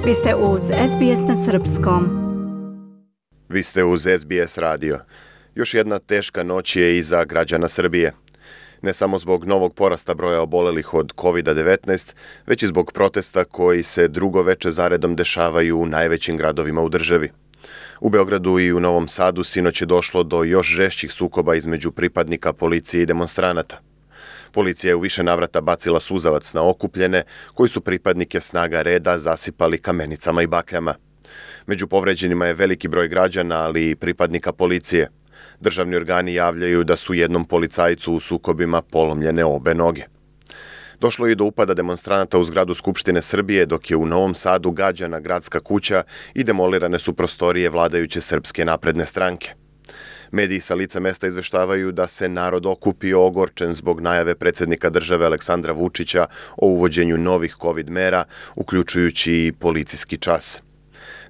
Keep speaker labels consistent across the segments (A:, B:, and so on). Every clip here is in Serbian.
A: Vi ste uz SBS na srpskom.
B: Vi ste uz SBS radio. Još jedna teška noć je iza građana Srbije. Ne samo zbog novog porasta broja obolelih od COVID-19, već i zbog protesta koji se drugo veče zaredom dešavaju u najvećim gradovima u državi. U Beogradu i u Novom Sadu sinoć je došlo do još žešćih sukoba između pripadnika policije i demonstranata. Policija je u više navrata bacila suzavac na okupljene, koji su pripadnike snaga reda zasipali kamenicama i bakljama. Među povređenima je veliki broj građana, ali i pripadnika policije. Državni organi javljaju da su jednom policajcu u sukobima polomljene obe noge. Došlo je i do upada demonstranata u zgradu Skupštine Srbije, dok je u Novom Sadu gađana gradska kuća i demolirane su prostorije vladajuće Srpske napredne stranke. Mediji sa lica mesta izveštavaju da se narod okupio ogorčen zbog najave predsjednika države Aleksandra Vučića o uvođenju novih COVID mera, uključujući i policijski čas.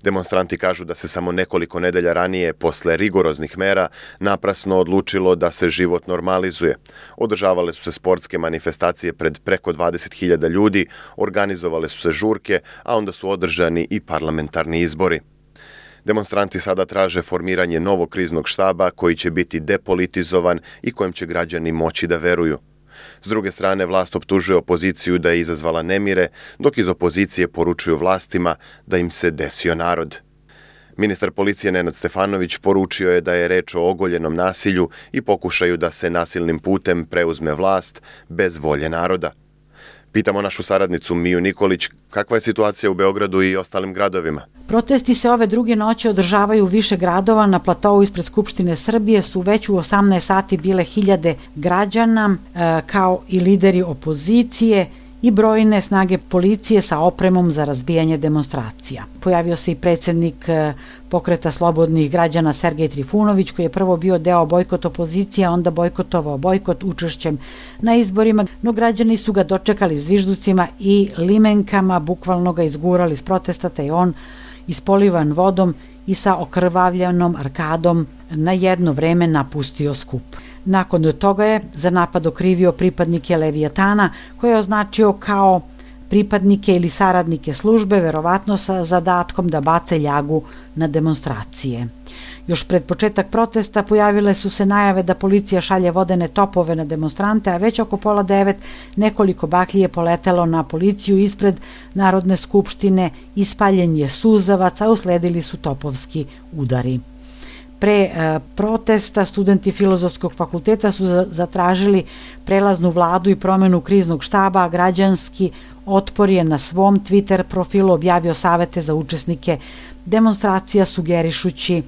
B: Demonstranti kažu da se samo nekoliko nedelja ranije, posle rigoroznih mera, naprasno odlučilo da se život normalizuje. Održavale su se sportske manifestacije pred preko 20.000 ljudi, organizovale su se žurke, a onda su održani i parlamentarni izbori. Demonstranti sada traže formiranje novog kriznog štaba koji će biti depolitizovan i kojem će građani moći da veruju. S druge strane, vlast optužuje opoziciju da je izazvala nemire, dok iz opozicije poručuju vlastima da im se desio narod. Ministar policije Nenad Stefanović poručio je da je reč o ogoljenom nasilju i pokušaju da se nasilnim putem preuzme vlast bez volje naroda. Pitamo našu saradnicu Miju Nikolić kakva je situacija u Beogradu i ostalim gradovima.
C: Protesti se ove druge noći održavaju u više gradova. Na platovu ispred Skupštine Srbije su već u 18 sati bile hiljade građana, kao i lideri opozicije i brojne snage policije sa opremom za razbijanje demonstracija. Pojavio se i predsjednik Pokreta slobodnih građana Sergej Trifunović, koji je prvo bio deo bojkot opozicije, a onda bojkotovao bojkot učešćem na izborima, no građani su ga dočekali zvižducima i limenkama, bukvalno ga izgurali s protesta, te je on ispolivan vodom i sa okrvavljenom arkadom na jedno vreme napustio skup. Nakon toga je za napad okrivio pripadnike Levijatana, koje je označio kao pripadnike ili saradnike službe, verovatno sa zadatkom da bace ljagu na demonstracije. Još pred početak protesta pojavile su se najave da policija šalje vodene topove na demonstrante, a već oko 8:30 nekoliko baklji je poletelo na policiju ispred Narodne skupštine, ispaljen je suzavac, a usledili su topovski udari. Pre protesta studenti Filozofskog fakulteta su zatražili prelaznu vladu i promenu kriznog štaba, a građanski otpor je na svom Twitter profilu objavio savete za učesnike demonstracija, sugerišući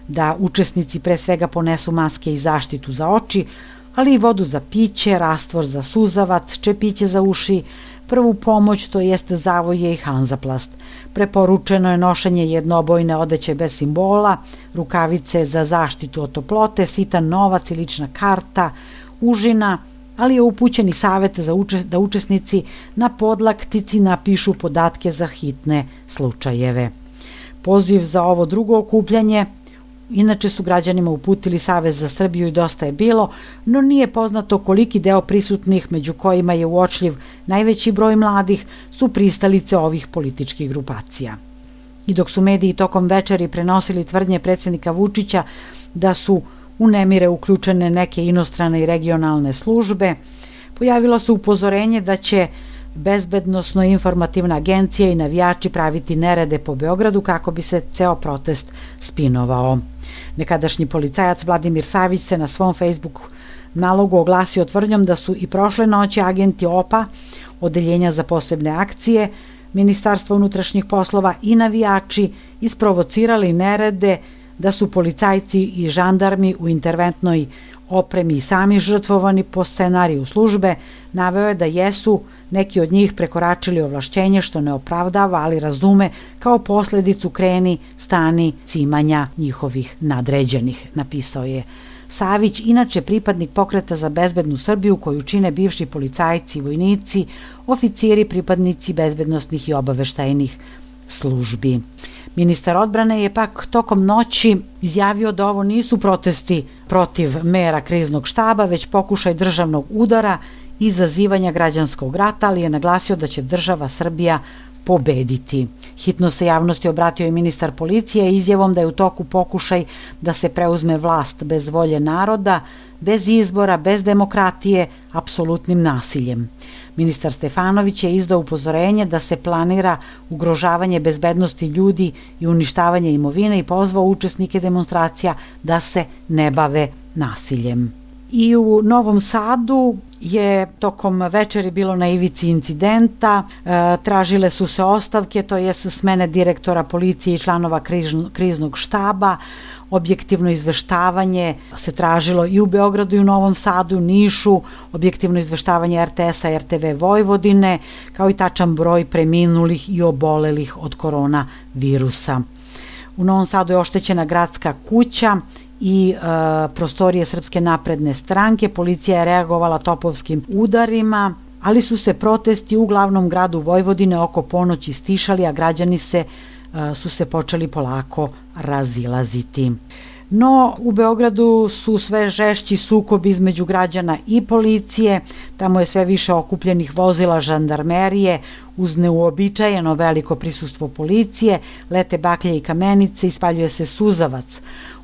C: da učesnici pre svega ponesu maske i zaštitu za oči, ali i vodu za piće, rastvor za suzavac, čepiće za uši, prvu pomoć, to jeste zavoje i Hanzaplast. Preporučeno je nošenje jednoobojne odeće bez simbola, rukavice za zaštitu od toplote, sitan novac i lična karta, užina, ali je upućen i savjet da učesnici na podlaktici napišu podatke za hitne slučajeve. Poziv za ovo drugo okupljanje inače su građanima uputili Savez za Srbiju i Dosta je bilo, no nije poznato koliki deo prisutnih, među kojima je uočljiv najveći broj mladih, su pristalice ovih političkih grupacija. I dok su mediji tokom večeri prenosili tvrdnje predsjednika Vučića da su u nemire uključene neke inostrane i regionalne službe, pojavilo se upozorenje da će Bezbednosno-informativna agencija i navijači praviti nerede po Beogradu kako bi se ceo protest spinovao. Nekadašnji policajac Vladimir Savić se na svom Facebook nalogu oglasio tvrdnjom da su i prošle noći agenti OPA, Odeljenja za posebne akcije, Ministarstva unutrašnjih poslova i navijači isprovocirali nerede, da su policajci i žandarmi u interventnoj opremi i sami žrtvovani po scenariju službe. Naveo je da jesu neki od njih prekoračili ovlašćenje, što ne opravdava, ali razume kao posljedicu kreni, stani, cimanja njihovih nadređenih, napisao je Savić, inače pripadnik Pokreta za bezbednu Srbiju, koju čine bivši policajci i vojnici, oficiri, pripadnici bezbednosnih i obaveštajnih službi. Ministar odbrane je pak tokom noći izjavio da ovo nisu protesti protiv mera kriznog štaba, već pokušaj državnog udara i izazivanja građanskog rata, ali je naglasio da će država Srbija pobediti. Hitno se javnosti obratio i ministar policije izjavom da je u toku pokušaj da se preuzme vlast bez volje naroda, bez izbora, bez demokratije, apsolutnim nasiljem. Ministar Stefanović je izdao upozorenje da se planira ugrožavanje bezbednosti ljudi i uništavanje imovine i pozvao učesnike demonstracija da se ne bave nasiljem. I u Novom Sadu je tokom večeri bilo na ivici incidenta, tražile su se ostavke, to je smene direktora policije i članova kriznog štaba, objektivno izveštavanje se tražilo i u Beogradu i u Novom Sadu, Nišu, objektivno izveštavanje RTS-a i RTV Vojvodine, kao i tačan broj preminulih i obolelih od koronavirusa. U Novom Sadu je oštećena gradska kuća i prostorije Srpske napredne stranke. Policija je reagovala topovskim udarima, ali su se protesti u glavnom gradu Vojvodine oko ponoći stišali, a građani su se počeli polako razilaziti. No, u Beogradu su sve žešći sukobi između građana i policije, tamo je sve više okupljenih vozila žandarmerije, uz neuobičajeno veliko prisustvo policije, lete baklje i kamenice, ispaljuje se suzavac.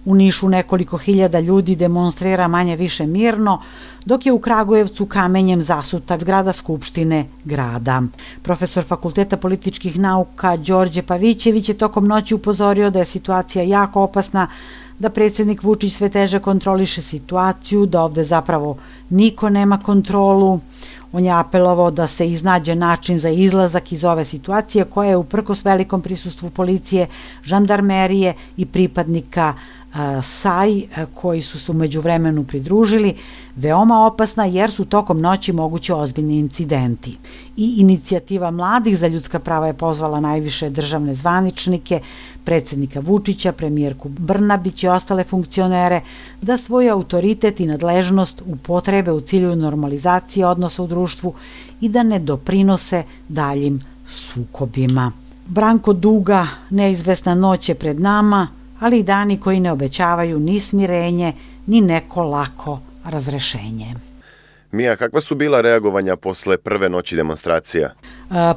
C: U Nišu nekoliko hiljada ljudi demonstrira manje više mirno, dok je u Kragujevcu kamenjem zasuta zgrada Skupštine grada. Profesor Fakulteta političkih nauka Đorđe Pavićević je tokom noći upozorio da je situacija jako opasna, da predsjednik Vučić sve teže kontroliše situaciju, da ovde zapravo niko nema kontrolu. On je apelovao da se iznađe način za izlazak iz ove situacije koja je uprkos velikom prisustvu policije, žandarmerije i pripadnika SAJ koji su se u međuvremenu pridružili, veoma opasna jer su tokom noći mogući ozbiljni incidenti. I inicijativa Mladih za ljudska prava je pozvala najviše državne zvaničnike, predsjednika Vučića, premijerku Brnabić i ostale funkcionere da svoj autoritet i nadležnost upotrebe u cilju normalizacije odnosa u društvu i da ne doprinose daljim sukobima. Branko Duga, neizvesna noć je pred nama, ali i dani koji ne obećavaju ni smirenje, ni neko lako razrešenje.
B: Mija, kakva su bila reagovanja posle prve noći demonstracija?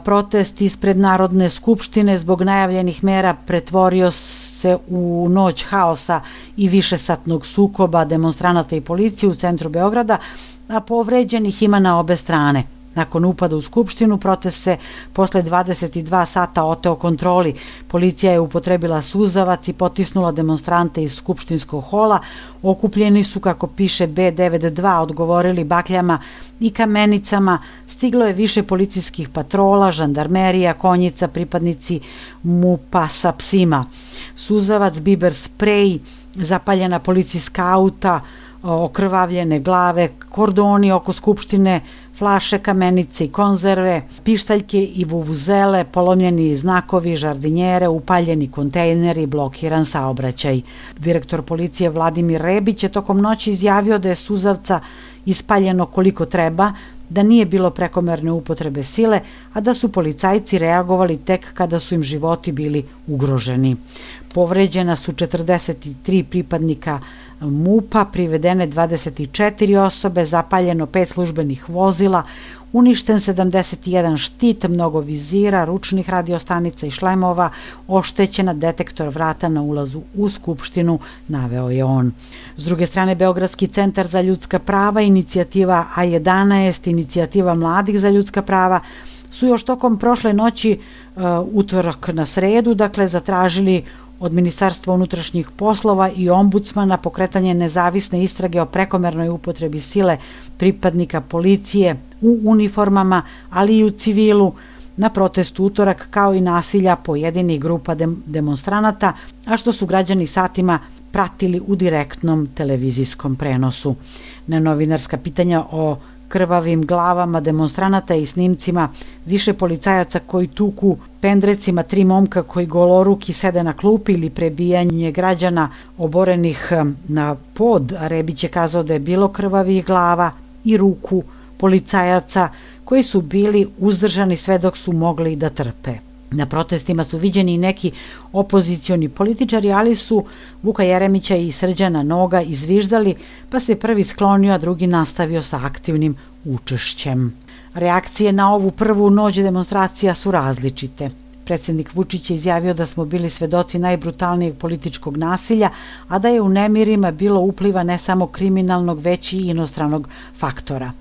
C: Protest ispred Narodne skupštine zbog najavljenih mera pretvorio se u noć haosa i višesatnog sukoba demonstranata i policije u centru Beograda, a povređenih ima na obe strane. Nakon upada u Skupštinu, protest se posle 22 sata oteo kontroli. Policija je upotrebila suzavac i potisnula demonstrante iz skupštinskog hola. Okupljeni su, kako piše B92, odgovorili bakljama i kamenicama. Stiglo je više policijskih patrola, žandarmerija, konjica, pripadnici MUP-a sa psima. Suzavac, biber sprej, zapaljena policijska auta, okrvavljene glave, kordoni oko Skupštine, flaše, kamenice i konzerve, pištaljke i vuvuzele, polomljeni znakovi, žardinjere, upaljeni kontejneri, blokiran saobraćaj. Direktor policije Vladimir Rebić je tokom noći izjavio da je suzavca ispaljeno koliko treba, da nije bilo prekomerne upotrebe sile, a da su policajci reagovali tek kada su im životi bili ugroženi. Povređena su 43 pripadnika MUP-a, privedene 24 osobe, zapaljeno 5 službenih vozila, uništen 71 štit, mnogo vizira, ručnih radiostanica i šlemova, oštećena detektor vrata na ulazu u Skupštinu, naveo je on. S druge strane, Beogradski centar za ljudska prava, inicijativa A11, inicijativa Mladih za ljudska prava, su još tokom prošle noći, utorak na sredu, zatražili od Ministarstva unutrašnjih poslova i ombudsmana pokretanje nezavisne istrage o prekomernoj upotrebi sile pripadnika policije u uniformama, ali i u civilu na protestu utorak, kao i nasilja pojedinih grupa demonstranata, a što su građani satima pratili u direktnom televizijskom prenosu. Na novinarska pitanja o krvavim glavama demonstranata i snimcima više policajaca koji tuku pendrecima 3 momka koji goloruki sede na klupi ili prebijanje građana oborenih na pod, a Rebić je kazao da je bilo krvavih glava i ruku policajaca koji su bili uzdržani sve dok su mogli da trpe. Na protestima su viđeni i neki opozicioni političari, ali su Vuka Jeremića i Srđana Noga izviždali, pa se prvi sklonio, a drugi nastavio sa aktivnim učešćem. Reakcije na ovu prvu noć demonstracija su različite. Predsjednik Vučić je izjavio da smo bili svedoci najbrutalnijeg političkog nasilja, a da je u nemirima bilo upliva ne samo kriminalnog, već i inostranog faktora.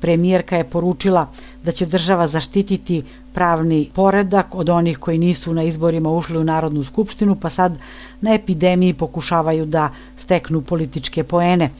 C: Premijerka je poručila da će država zaštititi pravni poredak od onih koji nisu na izborima ušli u Narodnu skupštinu, pa sad na epidemiji pokušavaju da steknu političke poene.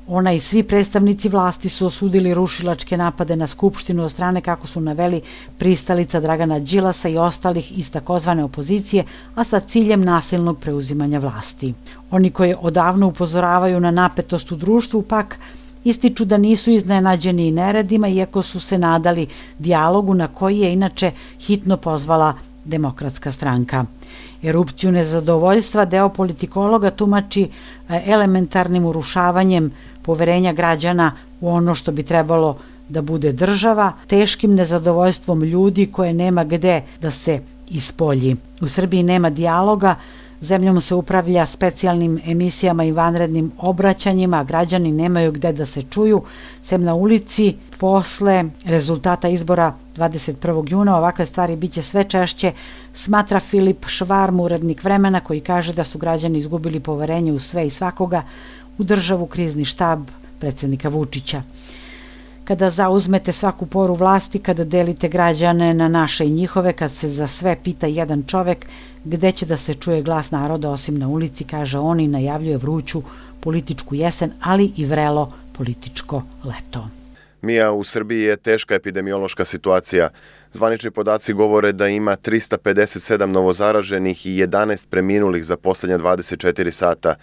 C: Ona i svi predstavnici vlasti su osudili rušilačke napade na Skupštinu od strane, kako su naveli, pristalica Dragana Đilasa i ostalih iz takozvane opozicije, a sa ciljem nasilnog preuzimanja vlasti. Oni koji odavno upozoravaju na napetost u društvu pak ističu da nisu iznenađeni i neredima, iako su se nadali dijalogu na koji je inače hitno pozvala Demokratska stranka. Erupciju nezadovoljstva deo politikologa tumači elementarnim urušavanjem poverenja građana u ono što bi trebalo da bude država, teškim nezadovoljstvom ljudi koje nema gde da se ispolji. U Srbiji nema dijaloga, zemljom se upravlja specijalnim emisijama i vanrednim obraćanjima, a građani nemaju gde da se čuju, sem na ulici. Posle rezultata izbora 21. juna ovakve stvari biće sve češće, smatra Filip Švarm, urednik Vremena, koji kaže da su građani izgubili poverenje u sve i svakoga, u državu, krizni štab predsjednika Vučića. Kada zauzmete svaku poru vlasti, kada delite građane na naše i njihove, kad se za sve pita jedan čovek, gde će da se čuje glas naroda osim na ulici, kaže on i najavljuje vruću političku jesen, ali i vrelo političko leto.
B: Mija, u Srbiji je teška epidemiološka situacija. Zvanični podaci govore da ima 357 novozaraženih i 11 preminulih za posljednja 24 sata.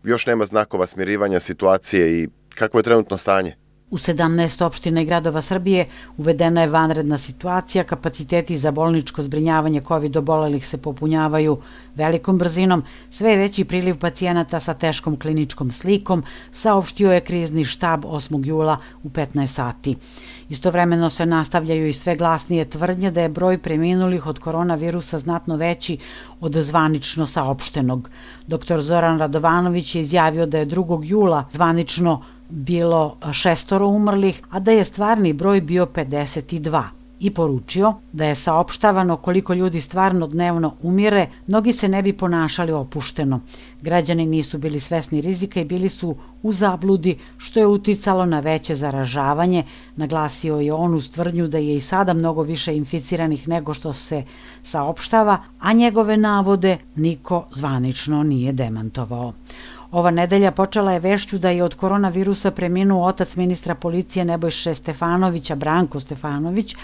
B: Još nema znakova smirivanja situacije i kakvo je trenutno stanje?
C: U 17 opština i gradova Srbije uvedena je vanredna situacija, kapaciteti za bolničko zbrinjavanje COVID obolelih se popunjavaju velikom brzinom, sve je veći priliv pacijenata sa teškom kliničkom slikom, saopštio je krizni štab 8. jula u 15 sati. Istovremeno se nastavljaju i sve glasnije tvrdnje da je broj preminulih od koronavirusa znatno veći od zvanično saopštenog. Dr. Zoran Radovanović je izjavio da je 2. jula zvanično bilo 6 umrlih, a da je stvarni broj bio 52 i poručio da je saopštavano koliko ljudi stvarno dnevno umire, mnogi se ne bi ponašali opušteno. Građani nisu bili svesni rizika i bili su u zabludi, što je uticalo na veće zaražavanje. Naglasio je on uz tvrdnju da je i sada mnogo više inficiranih nego što se saopštava, a njegove navode niko zvanično nije demantovao. Ova nedelja počela je vešću da je od koronavirusa preminuo otac ministra policije Nebojše Stefanovića, Branko Stefanović,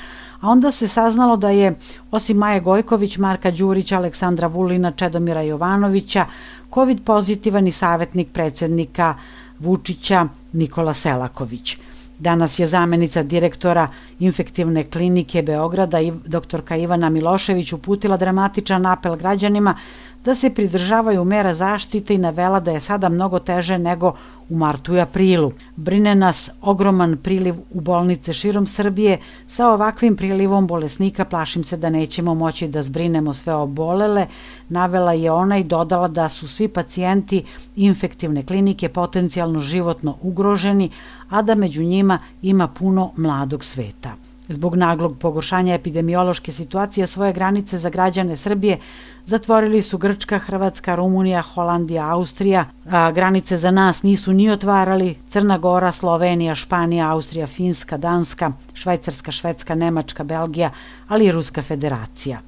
C: a onda se saznalo da je, osim Maje Gojković, Marka Đurića, Aleksandra Vulina, Čedomira Jovanovića, COVID pozitivan i savjetnik predsjednika Vučića Nikola Selaković. Danas je zamenica direktora Infektivne klinike Beograda, doktorka Ivana Milošević, uputila dramatičan apel građanima da se pridržavaju mera zaštite i navela da je sada mnogo teže nego u martu i aprilu. Brine nas ogroman priliv u bolnice širom Srbije. Sa ovakvim prilivom bolesnika plašim se da nećemo moći da zbrinemo sve obolele, navela je ona i dodala da su svi pacijenti Infektivne klinike potencijalno životno ugroženi, a da među njima ima puno mladog sveta. Zbog naglog pogoršanja epidemiološke situacije svoje granice za građane Srbije zatvorili su Grčka, Hrvatska, Rumunija, Holandija, Austrija. Granice za nas nisu ni otvarali Crna Gora, Slovenija, Španija, Austrija, Finska, Danska, Švajcarska, Švedska, Nemačka, Belgija, ali i Ruska federacija.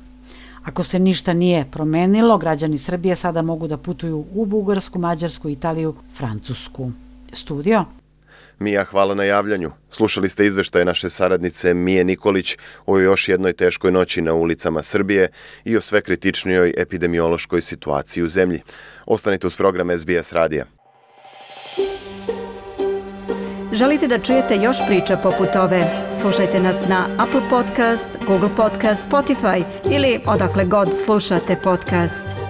C: Ako se ništa nije promenilo, građani Srbije sada mogu da putuju u Bugarsku, Mađarsku, Italiju, Francusku. Studio?
B: Mija, hvala na javljanju. Slušali ste izveštaje naše saradnice Mije Nikolić o još jednoj teškoj noći na ulicama Srbije i o sve kritičnijoj epidemiološkoj situaciji u zemlji. Ostanite uz program SBS radija.
A: Želite da čujete još priča poput ove? Slušajte nas na Apple Podcast, Google Podcast, Spotify ili odakle god slušate podcast.